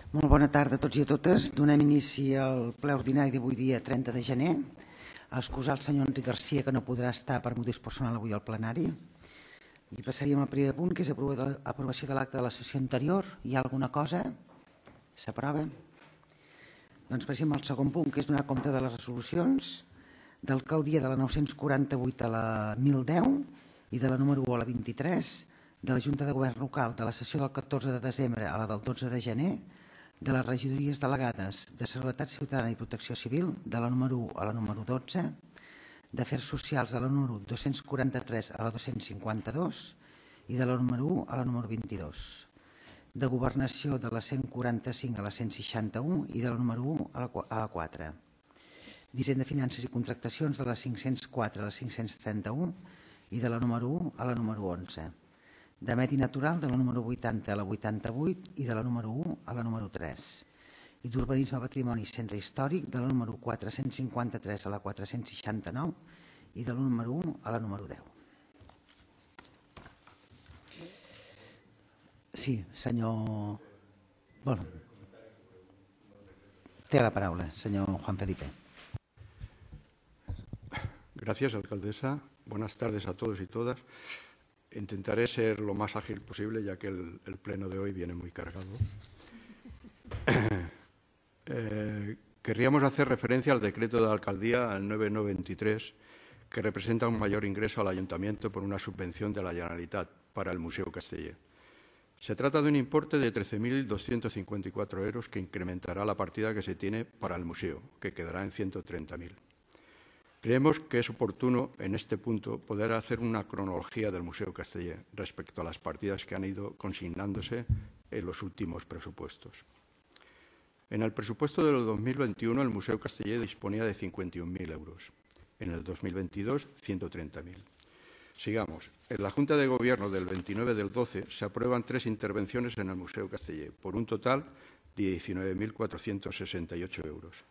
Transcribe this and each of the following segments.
Molt bona tarda a tots i a totes. Donem inici al ple ordinari d'avui dia 30 de gener. A excusar el senyor Enric Garcia, que no podrà estar per motius personals avui al plenari. I passaríem al primer punt, que és aprovació de l'acte de la sessió anterior. Hi ha alguna cosa? S'aprova? Doncs passem al segon punt, que és donar compte de les resolucions d'alcaldia de la 948 a la 1010 i de la número 1 a la 23, de la Junta de Govern Local de la sessió del 14 de desembre a la del 12 de gener, de les regidories delegades de Seguretat Ciutadana i Protecció Civil, de la número 1 a la número 12, d'Afers Socials de la número 243 a la 252 i de la número 1 a la número 22, de Governació de la 145 a la 161 i de la número 1 a la 4, d'Hisenda, Finances i Contractacions de la 504 a la 531 i de la número 1 a la número 11, de Medi Natural de la número 80 a la 88 i de la número 1 a la número 3, i d'Urbanisme, Patrimoni i Centre Històric de la número 453 a la 469 i de la número 1 a la número 10. Sí, senyor... Bueno, té la paraula, señor Juan Felipe. Gracias, alcaldesa. Buenas tardes a todos y todas. Intentaré ser lo más ágil posible, ya que el pleno de hoy viene muy cargado. Querríamos hacer referencia al decreto de la alcaldía, al 9923, que representa un mayor ingreso al ayuntamiento por una subvención de la Generalitat para el Museo Casteller. Se trata de un importe de 13.254 euros que incrementará la partida que se tiene para el museo, que quedará en 130.000. Creemos que es oportuno, en este punto, poder hacer una cronología del Museo Casteller respecto a las partidas que han ido consignándose en los últimos presupuestos. En el presupuesto del 2021, el Museo Casteller disponía de 51.000 euros. En el 2022, 130.000. Sigamos. En la Junta de Gobierno del 29 del 12 se aprueban 3 intervenciones en el Museo Casteller, por un total de 19.468 euros.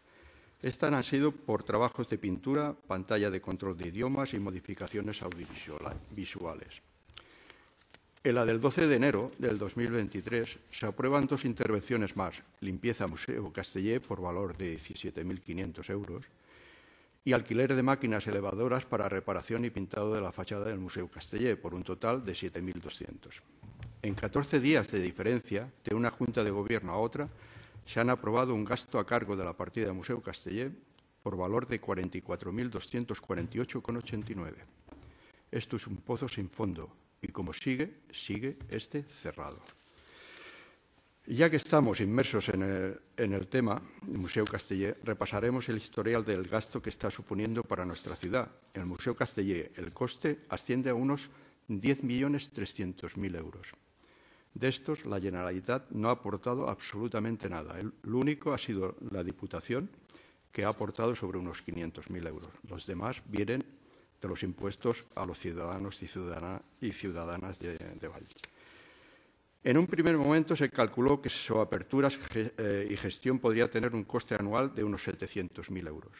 Estas han sido por trabajos de pintura, pantalla de control de idiomas y modificaciones audiovisuales. En la del 12 de enero del 2023 se aprueban 2 intervenciones más, limpieza Museo Casteller por valor de 17.500 euros y alquiler de máquinas elevadoras para reparación y pintado de la fachada del Museo Casteller por un total de 7.200. En 14 días de diferencia de una Junta de Gobierno a otra, se han aprobado un gasto a cargo de la partida del Museo Casteller por valor de 44.248,89. Esto es un pozo sin fondo y como sigue este cerrado. Y ya que estamos inmersos en el tema del Museo Casteller, repasaremos el historial del gasto que está suponiendo para nuestra ciudad. El Museo Casteller, el coste asciende a unos 10.300.000 euros. De estos, la Generalitat no ha aportado absolutamente nada. El único ha sido la Diputación, que ha aportado sobre unos 500.000 euros. Los demás vienen de los impuestos a los ciudadanos y ciudadanas de Valls. En un primer momento se calculó que su apertura y gestión podría tener un coste anual de unos 700.000 euros.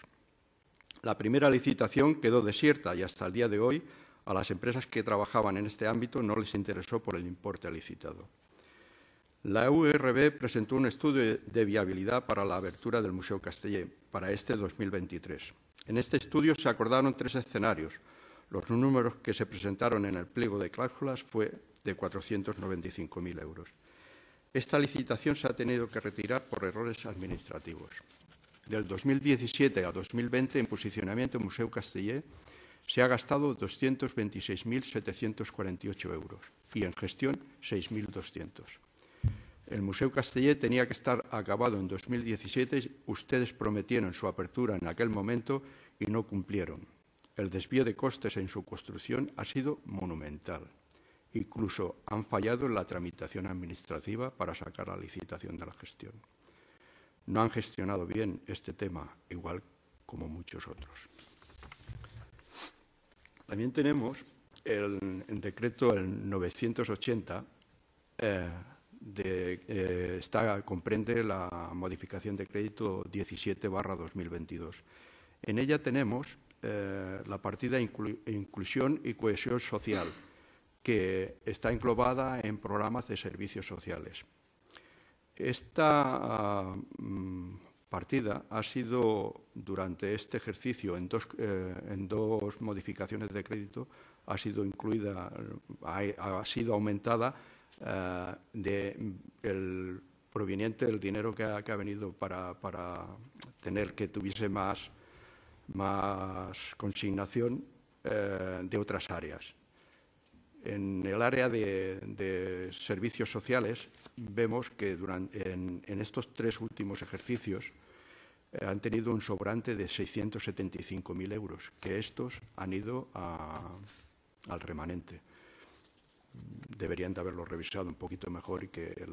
La primera licitación quedó desierta y hasta el día de hoy a las empresas que trabajaban en este ámbito no les interesó por el importe licitado. La URB presentó un estudio de viabilidad para la apertura del Museo Casteller para este 2023. En este estudio se acordaron 3 escenarios. Los números que se presentaron en el pliego de cláusulas fue de 495.000 euros. Esta licitación se ha tenido que retirar por errores administrativos. Del 2017 a 2020, en posicionamiento Museo Casteller, se ha gastado 226.748 euros y en gestión 6.200. El Museo Casteller tenía que estar acabado en 2017. Ustedes prometieron su apertura en aquel momento y no cumplieron. El desvío de costes en su construcción ha sido monumental. Incluso han fallado en la tramitación administrativa para sacar la licitación de la gestión. No han gestionado bien este tema, igual como muchos otros. También tenemos el decreto el 980, comprende la modificación de crédito 17/2022. En ella tenemos la partida Inclusión y Cohesión Social, que está englobada en programas de servicios sociales. Esta partida ha sido, durante este ejercicio, en dos modificaciones de crédito, ha sido incluida, ha sido aumentada proveniente del dinero que ha venido para tener que tuviese más consignación de otras áreas. En el área de servicios sociales vemos que en estos 3 últimos ejercicios han tenido un sobrante de 675.000 euros, que estos han ido al remanente. Deberían de haberlo revisado un poquito mejor y que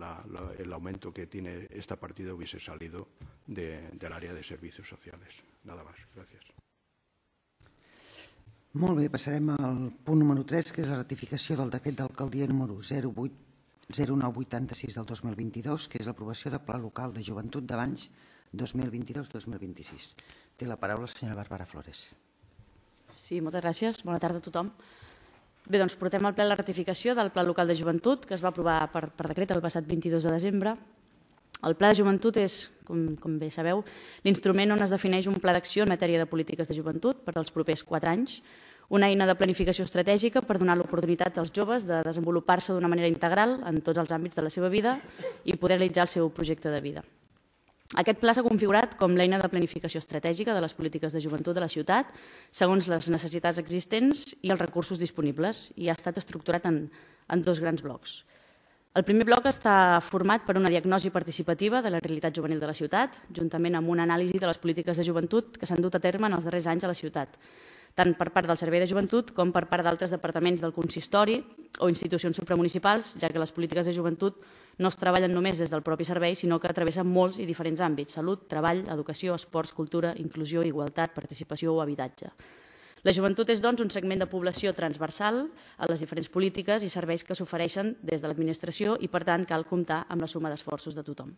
el aumento que tiene esta partida hubiese salido del área de servicios sociales. Nada más. Gràcies. Molt bé, passarem al punt número 3, que és la ratificació del decret d'alcaldia número 0986 del 2022, que és l'aprovació del Pla Local de Joventut d'Avanys 2022-2026. Té la paraula la senyora Bàrbara Flores. Sí, moltes gràcies. Bona tarda a tothom. Bé, doncs portem al ple la ratificació del Pla Local de Joventut, que es va aprovar per decret el passat 22 de desembre. El Pla de Joventut és, com bé sabeu, l'instrument on es defineix un pla d'acció en matèria de polítiques de joventut per als propers 4 anys, una eina de planificació estratègica per donar l'oportunitat als joves de desenvolupar-se d'una manera integral en tots els àmbits de la seva vida i poder realitzar el seu projecte de vida. Aquest pla s'ha configurat com l'eina de planificació estratègica de les polítiques de joventut de la ciutat segons les necessitats existents i els recursos disponibles i ha estat estructurat en 2 grans blocs. El primer bloc està format per una diagnosi participativa de la realitat juvenil de la ciutat, juntament amb una anàlisi de les polítiques de joventut que s'han dut a terme en els darrers anys a la ciutat, tant per part del Servei de Joventut com per part d'altres departaments del consistori o institucions supramunicipals, ja que les polítiques de joventut no es treballen només des del propi servei, sinó que travessen molts i diferents àmbits: salut, treball, educació, esports, cultura, inclusió, igualtat, participació o habitatge. La joventut és, doncs, un segment de població transversal a les diferents polítiques i serveis que s'ofereixen des de l'administració i, per tant, cal comptar amb la suma d'esforços de tothom.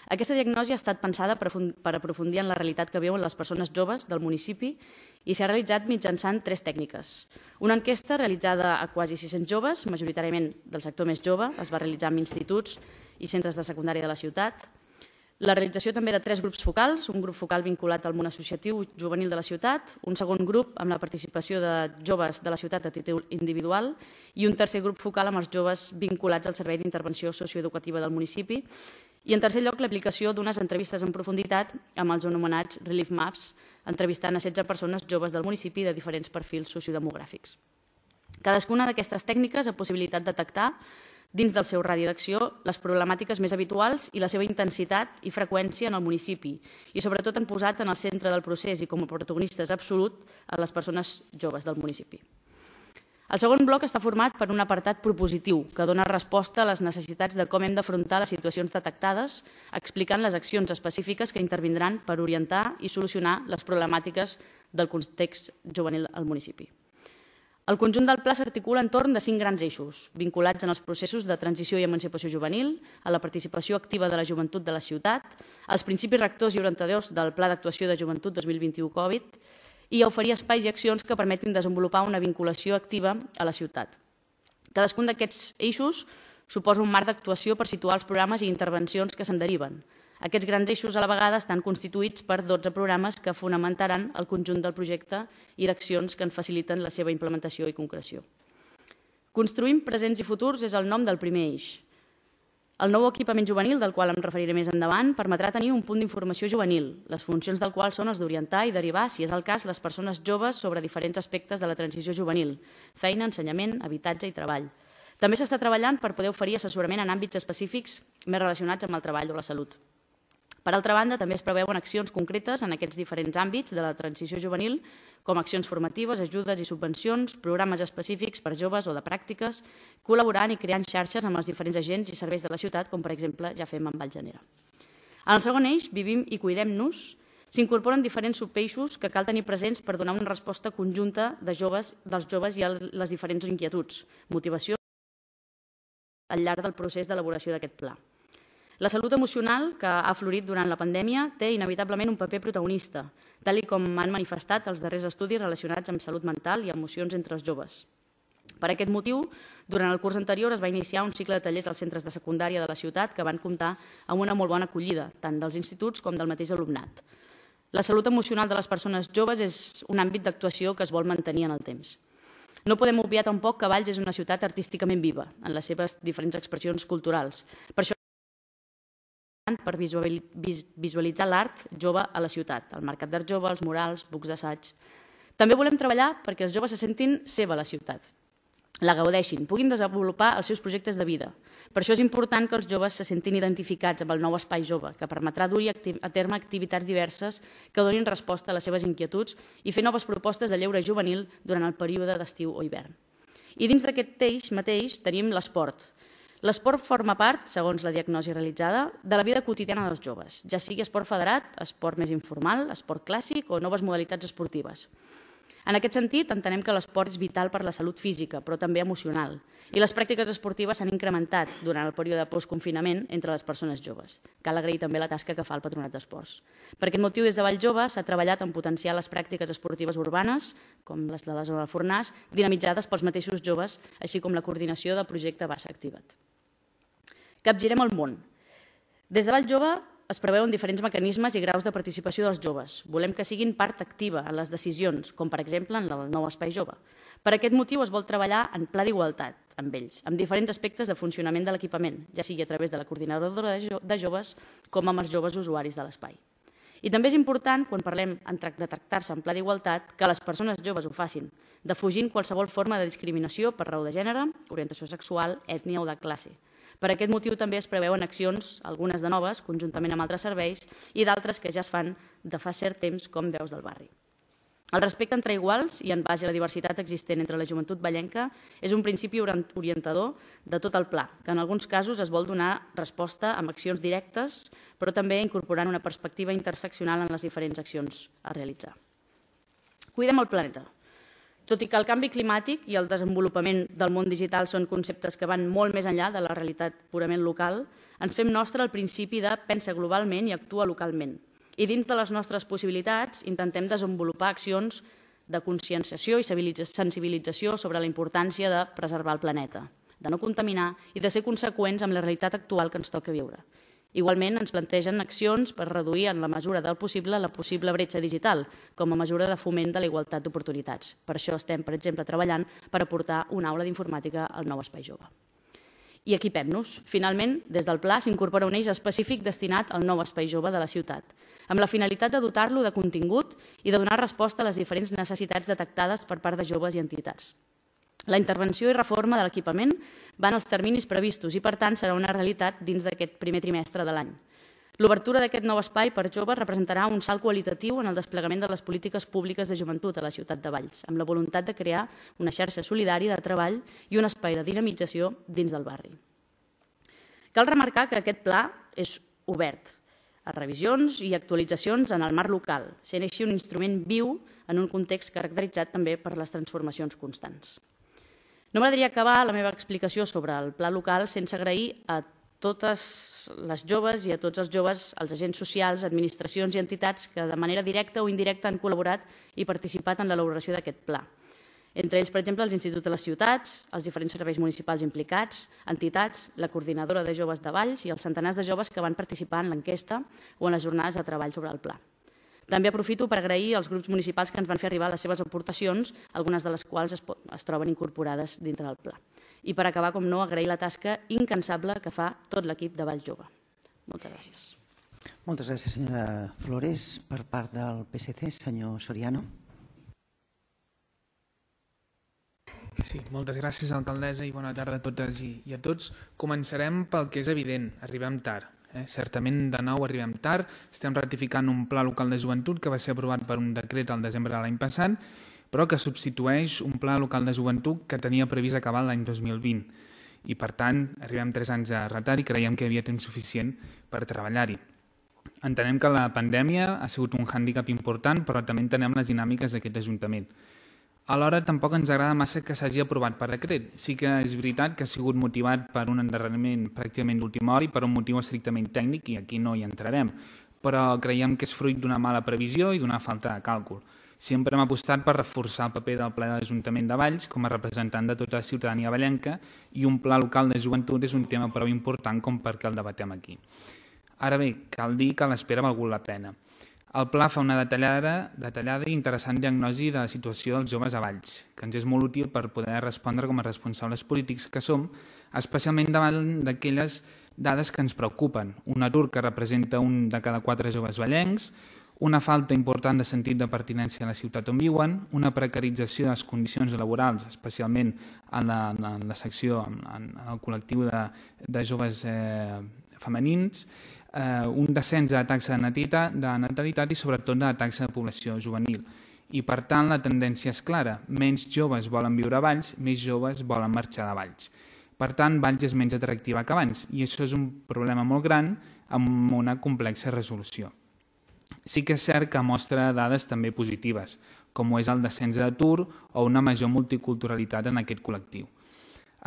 Aquesta diagnosi ha estat pensada per aprofundir en la realitat que viuen les persones joves del municipi i s'ha realitzat mitjançant 3 tècniques. Una enquesta realitzada a quasi 600 joves, majoritàriament del sector més jove, es va realitzar en instituts i centres de secundària de la ciutat. La realització també de 3 grups focals, un grup focal vinculat al món associatiu juvenil de la ciutat, un segon grup amb la participació de joves de la ciutat a títol individual i un tercer grup focal amb els joves vinculats al Servei d'Intervenció Socioeducativa del municipi i, en tercer lloc, l'aplicació d'unes entrevistes en profunditat amb els anomenats Relief Maps, entrevistant a 16 persones joves del municipi de diferents perfils sociodemogràfics. Cadascuna d'aquestes tècniques ha possibilitat detectar dins del seu radi d'acció les problemàtiques més habituals i la seva intensitat i freqüència en el municipi i sobretot han posat en el centre del procés i com a protagonistes absolut a les persones joves del municipi. El segon bloc està format per un apartat propositiu que dona resposta a les necessitats de com hem d'afrontar les situacions detectades, explicant les accions específiques que intervindran per orientar i solucionar les problemàtiques del context juvenil al municipi. El conjunt del pla s'articula entorn de 5 grans eixos, vinculats en els processos de transició i emancipació juvenil, a la participació activa de la joventut de la ciutat, als principis rectors i orientadors del Pla d'Actuació de Joventut 2021 Covid i a oferir espais i accions que permetin desenvolupar una vinculació activa a la ciutat. Cadascun d'aquests eixos suposa un marc d'actuació per situar els programes i intervencions que se'n deriven. Aquests grans eixos a la vegada estan constituïts per 12 programes que fonamentaran el conjunt del projecte i d'accions que en faciliten la seva implementació i concreció. Construïm presents i futurs és el nom del primer eix. El nou equipament juvenil, del qual em referiré més endavant, permetrà tenir un punt d'informació juvenil, les funcions del qual són els d'orientar i derivar, si és el cas, les persones joves sobre diferents aspectes de la transició juvenil, feina, ensenyament, habitatge i treball. També s'està treballant per poder oferir assessorament en àmbits específics més relacionats amb el treball o la salut. Per altra banda, també es preveuen accions concretes en aquests diferents àmbits de la transició juvenil, com accions formatives, ajudes i subvencions, programes específics per joves o de pràctiques, col·laborant i creant xarxes amb els diferents agents i serveis de la ciutat, com per exemple ja fem amb Vallgenera. En el segon eix, Vivim i Cuidem-nos, s'incorporen diferents subeixos que cal tenir presents per donar una resposta conjunta dels joves i a les diferents inquietuds, motivació al llarg del procés d'elaboració d'aquest pla. La salut emocional, que ha florit durant la pandèmia, té inevitablement un paper protagonista, tal com han manifestat els darrers estudis relacionats amb salut mental i emocions entre els joves. Per aquest motiu, durant el curs anterior es va iniciar un cicle de tallers als centres de secundària de la ciutat que van comptar amb una molt bona acollida, tant dels instituts com del mateix alumnat. La salut emocional de les persones joves és un àmbit d'actuació que es vol mantenir en el temps. No podem obviar tampoc que Valls és una ciutat artísticament viva en les seves diferents expressions culturals. Per això per visualitzar l'art jove a la ciutat, el mercat d'art jove, els murals, bucs d'assaig. També volem treballar perquè els joves se sentin seva a la ciutat, la gaudeixin, puguin desenvolupar els seus projectes de vida. Per això és important que els joves se sentin identificats amb el nou espai jove, que permetrà dur a terme activitats diverses que donin resposta a les seves inquietuds i fer noves propostes de lleure juvenil durant el període d'estiu o hivern. I dins d'aquest eix mateix tenim l'esport. L'esport forma part, segons la diagnosi realitzada, de la vida quotidiana dels joves, ja sigui esport federat, esport més informal, esport clàssic o noves modalitats esportives. En aquest sentit, entenem que l'esport és vital per la salut física, però també emocional, i les pràctiques esportives s'han incrementat durant el període de postconfinament entre les persones joves. Cal agrair també la tasca que fa el Patronat d'Esports. Per aquest motiu, des de Valls Jove s'ha treballat en potenciar les pràctiques esportives urbanes, com les de la zona del Fornàs, dinamitzades pels mateixos joves, així com la coordinació del projecte Barça Activa't. Capgirem el món. Des de Valls Jove es preveuen diferents mecanismes i graus de participació dels joves. Volem que siguin part activa en les decisions, com per exemple en el nou espai jove. Per aquest motiu es vol treballar en pla d'igualtat amb ells, amb diferents aspectes de funcionament de l'equipament, ja sigui a través de la coordinadora de joves com amb els joves usuaris de l'espai. I també és important, quan parlem de tractar-se en pla d'igualtat, que les persones joves ho facin, defugint qualsevol forma de discriminació per raó de gènere, orientació sexual, ètnia o de classe. Per aquest motiu també es preveuen accions, algunes de noves, conjuntament amb altres serveis, i d'altres que ja es fan de fa cert temps, com Veus del Barri. El respecte entre iguals i en base a la diversitat existent entre la joventut vallenca és un principi orientador de tot el pla, que en alguns casos es vol donar resposta amb accions directes, però també incorporant una perspectiva interseccional en les diferents accions a realitzar. Cuidem el planeta. Tot i que el canvi climàtic i el desenvolupament del món digital són conceptes que van molt més enllà de la realitat purament local, ens fem nostre el principi de pensa globalment i actua localment. I dins de les nostres possibilitats intentem desenvolupar accions de conscienciació i sensibilització sobre la importància de preservar el planeta, de no contaminar i de ser conseqüents amb la realitat actual que ens toca viure. Igualment, ens plantegen accions per reduir en la mesura del possible la possible bretxa digital, com a mesura de foment de la igualtat d'oportunitats. Per això estem, per exemple, treballant per aportar una aula d'informàtica al nou espai jove. I equipem-nos. Finalment, des del Pla s'incorpora un eix específic destinat al nou espai jove de la ciutat, amb la finalitat de dotar-lo de contingut i de donar resposta a les diferents necessitats detectades per part de joves i entitats. La intervenció i reforma de l'equipament van als terminis previstos i, per tant, serà una realitat dins d'aquest primer trimestre de l'any. L'obertura d'aquest nou espai per joves representarà un salt qualitatiu en el desplegament de les polítiques públiques de joventut a la ciutat de Valls, amb la voluntat de crear una xarxa solidària de treball i un espai de dinamització dins del barri. Cal remarcar que aquest pla és obert a revisions i actualitzacions en el marc local, sent així un instrument viu en un context caracteritzat també per les transformacions constants. No m'agradaria acabar la meva explicació sobre el pla local sense agrair a totes les joves i a tots els joves, els agents socials, administracions i entitats que de manera directa o indirecta han col·laborat i participat en l'elaboració d'aquest pla. Entre ells, per exemple, els instituts de les ciutats, els diferents serveis municipals implicats, entitats, la coordinadora de joves de Valls i els centenars de joves que van participar en l'enquesta o en les jornades de treball sobre el pla. També aprofito per agrair als grups municipals que ens van fer arribar les seves aportacions, algunes de les quals es troben incorporades dintre del pla. I per acabar, com no, agrair la tasca incansable que fa tot l'equip de Valls Jove. Moltes gràcies. Moltes gràcies, senyora Flores. Per part del PSC, senyor Soriano. Sí, moltes gràcies, alcaldessa, i bona tarda a totes i a tots. Començarem pel que és evident, arribem tard. Certament, de nou, arribem tard. Estem ratificant un pla local de joventut que va ser aprovat per un decret al desembre de l'any passat, però que substitueix un pla local de joventut que tenia previst acabar l'any 2020. I, per tant, arribem 3 anys de retard i creiem que hi havia temps suficient per treballar-hi. Entenem que la pandèmia ha sigut un hàndicap important, però també entenem les dinàmiques d'aquest Ajuntament. Alhora, tampoc ens agrada massa que s'hagi aprovat per decret. Sí que és veritat que ha sigut motivat per un endarreriment pràcticament d'última hora i per un motiu estrictament tècnic, i aquí no hi entrarem, però creiem que és fruit d'una mala previsió i d'una falta de càlcul. Sempre hem apostat per reforçar el paper del ple de l'Ajuntament de Valls com a representant de tota la ciutadania vallenca i un pla local de joventut és un tema prou important com perquè el debatem aquí. Ara bé, cal dir que l'espera ha valgut la pena. El pla fa una detallada i interessant diagnosi de la situació dels joves a Valls, que ens és molt útil per poder respondre com a responsables polítics que som, especialment davant d'aquelles dades que ens preocupen. Un atur que representa un de cada 4 joves vallencs, una falta important de sentit de pertinença a la ciutat on viuen, una precarització de les condicions laborals, especialment en la secció, en el col·lectiu de joves femenins, un descens de la taxa de natalitat i sobretot de la taxa de població juvenil. I per tant la tendència és clara, menys joves volen viure a Valls, més joves volen marxar de Valls. Per tant, Valls és menys atractiva que abans i això és un problema molt gran amb una complexa resolució. Sí que és cert que mostra dades també positives, com és el descens d'atur o una major multiculturalitat en aquest col·lectiu.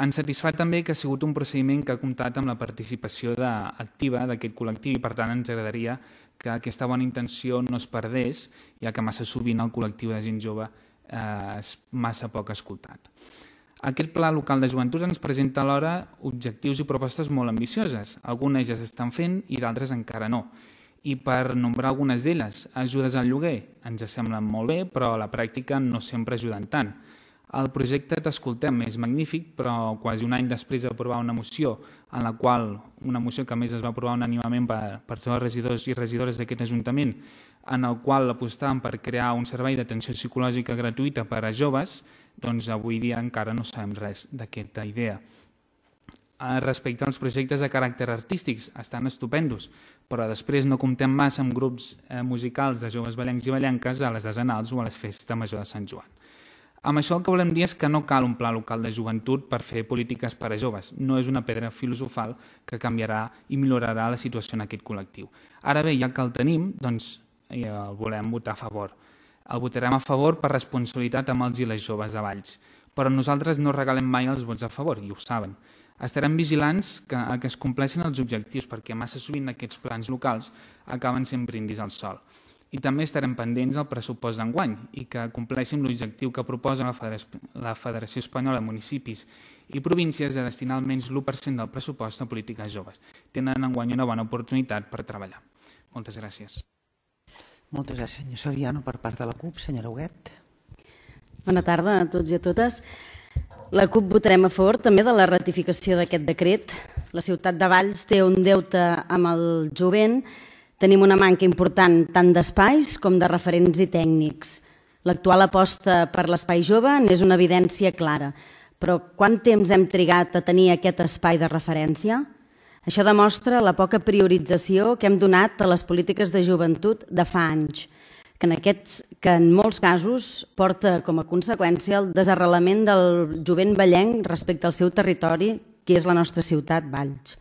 Ens satisfà també que ha sigut un procediment que ha comptat amb la participació activa d'aquest col·lectiu i per tant ens agradaria que aquesta bona intenció no es perdés, ja que massa sovint el col·lectiu de gent jove és massa poc escoltat. Aquest pla local de joventut ens presenta alhora objectius i propostes molt ambicioses. Algunes ja s'estan fent i d'altres encara no. I per nombrar algunes d'elles, ajudes al lloguer ens semblen molt bé, però a la pràctica no sempre ajuden tant. El projecte T'Escoltem és magnífic, però quasi un any després d'aprovar una moció que a més es va aprovar unànimement per tots els regidors i regidores d'aquest Ajuntament, en el qual apostàvem per crear un servei d'atenció psicològica gratuïta per a joves, doncs avui dia encara no sabem res d'aquesta idea. Respecte als projectes de caràcter artístics, estan estupendos, però després no comptem massa amb grups musicals de joves vallencs i vallenques a les desenals o a les festes major de Sant Joan. Amb això el que volem dir és que no cal un pla local de joventut per fer polítiques per a joves. No és una pedra filosofal que canviarà i millorarà la situació en aquest col·lectiu. Ara bé, ja que el tenim, doncs el volem votar a favor. El votarem a favor per responsabilitat amb els i les joves de Valls. Però nosaltres no regalem mai els vots a favor, i ho saben. Estarem vigilants que es compleixin els objectius perquè massa sovint aquests plans locals acaben sent brindis al sol. I també estarem pendents del pressupost d'enguany i que compleixin l'objectiu que proposa la Federació Espanyola de Municipis i Províncies de destinar almenys l'1% del pressupost a polítiques joves. Tenen enguany una bona oportunitat per treballar. Moltes gràcies. Moltes gràcies, senyor Soriano. Per part de la CUP, senyora Huguet. Bona tarda a tots i a totes. La CUP votarem a favor també de la ratificació d'aquest decret. La ciutat de Valls té un deute amb el jovent. Tenim una manca important tant d'espais com de referents i tècnics. L'actual aposta per l'espai jove n'és una evidència clara. Però quant temps hem trigat a tenir aquest espai de referència? Això demostra la poca priorització que hem donat a les polítiques de joventut de fa anys, que en molts casos porta com a conseqüència el desarrelament del jovent vallenc respecte al seu territori, que és la nostra ciutat, Valls.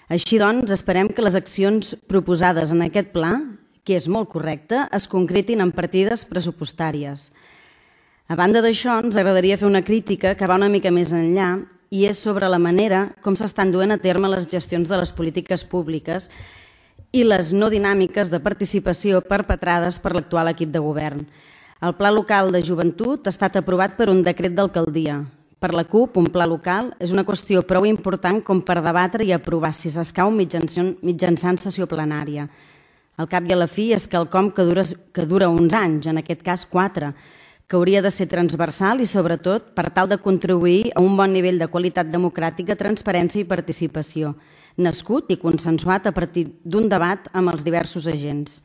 Així doncs, esperem que les accions proposades en aquest pla, que és molt correcte, es concretin en partides pressupostàries. A banda d'això, ens agradaria fer una crítica que va una mica més enllà i és sobre la manera com s'estan duent a terme les gestions de les polítiques públiques i les no dinàmiques de participació perpetrades per l'actual equip de govern. El Pla Local de Joventut ha estat aprovat per un decret d'alcaldia. Per la CUP, un pla local és una qüestió prou important com per debatre i aprovar si s'escau mitjançant sessió plenària. Al cap i a la fi és quelcom que dura uns anys, en aquest cas 4, que hauria de ser transversal i, sobretot, per tal de contribuir a un bon nivell de qualitat democràtica, transparència i participació, nascut i consensuat a partir d'un debat amb els diversos agents.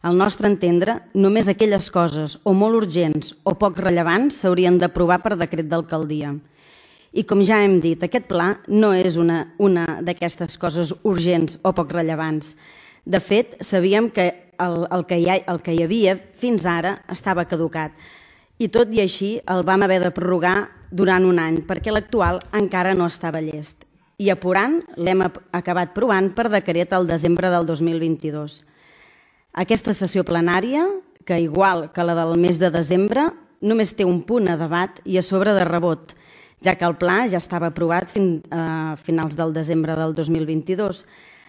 Al nostre entendre, només aquelles coses o molt urgents o poc rellevants s'haurien d'aprovar per decret d'alcaldia. I com ja hem dit, aquest pla no és una d'aquestes coses urgents o poc rellevants. De fet, sabíem que el que hi havia fins ara estava caducat. I tot i així el vam haver de prorrogar durant un any perquè l'actual encara no estava llest. I apurant l'hem acabat provant per decret al desembre del 2022. Aquesta sessió plenària, que igual que la del mes de desembre, només té un punt a debat i a sobre de rebot, ja que el pla ja estava aprovat a finals del desembre del 2022.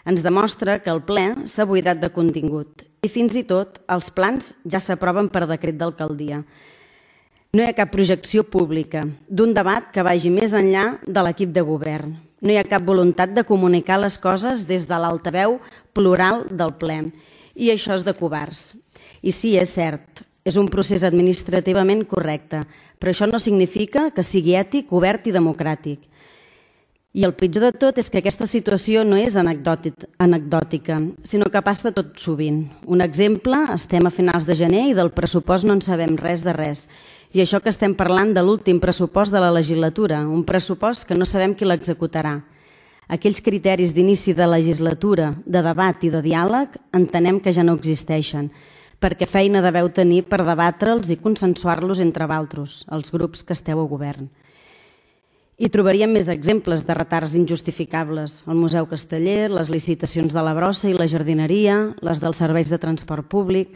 Ens demostra que el ple s'ha buidat de contingut i fins i tot els plans ja s'aproven per decret d'alcaldia. No hi ha cap projecció pública d'un debat que vagi més enllà de l'equip de govern. No hi ha cap voluntat de comunicar les coses des de l'altaveu plural del ple. I això és de covards. I sí, és cert, és un procés administrativament correcte, però això no significa que sigui ètic, obert i democràtic. I el pitjor de tot és que aquesta situació no és anecdòtica, sinó que passa tot sovint. Un exemple, estem a finals de gener i del pressupost no en sabem res de res. I això que estem parlant de l'últim pressupost de la legislatura, un pressupost que no sabem qui l'executarà. Aquells criteris d'inici de legislatura, de debat i de diàleg, entenem que ja no existeixen, perquè feina deveu tenir per debatre'ls i consensuar-los entre vosaltres, els grups que esteu a govern. I trobaríem més exemples de retards injustificables. El Museu Casteller, les licitacions de la brossa i la jardineria, les dels serveis de transport públic.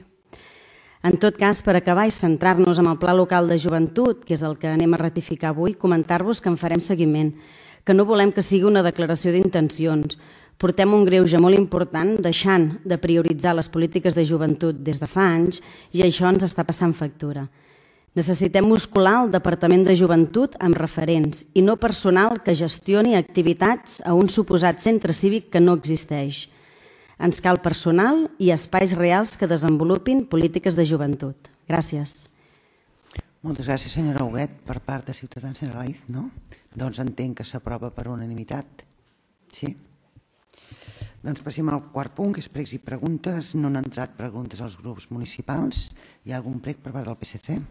En tot cas, per acabar i centrar-nos en el Pla Local de Joventut, que és el que anem a ratificar avui, comentar-vos que en farem seguiment, que no volem que sigui una declaració d'intencions. Portem un greuge molt important deixant de prioritzar les polítiques de joventut des de fa anys i això ens està passant factura. Necessitem muscular el Departament de Joventut amb referents i no personal que gestioni activitats a un suposat centre cívic que no existeix. Ens cal personal i espais reals que desenvolupin polítiques de joventut. Gràcies. Moltes gràcies, senyora Huguet. Per part de Ciutadans, senyora Laiz, no? Doncs entenc que s'aprova per unanimitat. Sí? Doncs passem al quart punt, que és pregs i preguntes. No han entrat preguntes als grups municipals. Hi ha algun prec per part del PSC?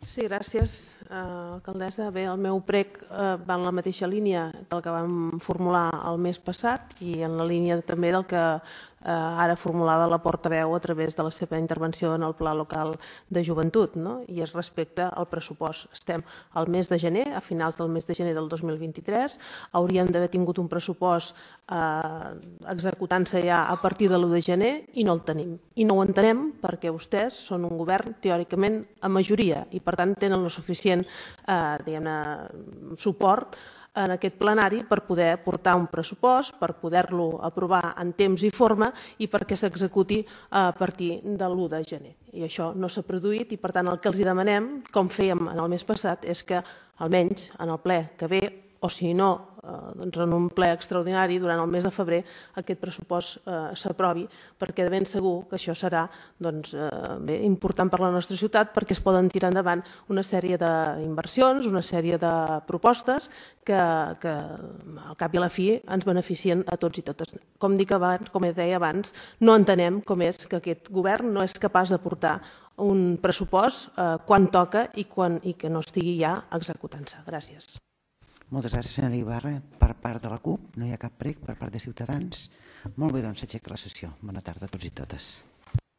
Sí, gràcies, alcaldessa. Bé, el meu prec va en la mateixa línia que el que vam formular el mes passat i en la línia també del que ara formulava la portaveu a través de la seva intervenció en el Pla Local de Joventut, i és respecte al pressupost. Estem al mes de gener, a finals del mes de gener del 2023, hauríem d'haver tingut un pressupost executant-se ja a partir de l'1 de gener i no el tenim. I no ho entenem perquè vostès són un govern teòricament a majoria i per tant tenen el suficient suport en aquest plenari per poder portar un pressupost, per poder-lo aprovar en temps i forma i perquè s'executi a partir de l'1 de gener. I això no s'ha produït i per tant el que els demanem, com fèiem en el mes passat, és que almenys en el ple que ve, o si no, en un ple extraordinari durant el mes de febrer aquest pressupost s'aprovi, perquè de ben segur que això serà important per a la nostra ciutat perquè es poden tirar endavant una sèrie d'inversions, una sèrie de propostes que al cap i a la fi ens beneficien a tots i totes. Com deia abans, no entenem com és que aquest govern no és capaç de portar un pressupost quan toca i que no estigui ja executant-se. Gràcies. Moltes gràcies, senyora Ibarra. Per part de la CUP no hi ha cap prec, per part de Ciutadans. Molt bé, doncs s'aixeca la sessió. Bona tarda a tots i totes.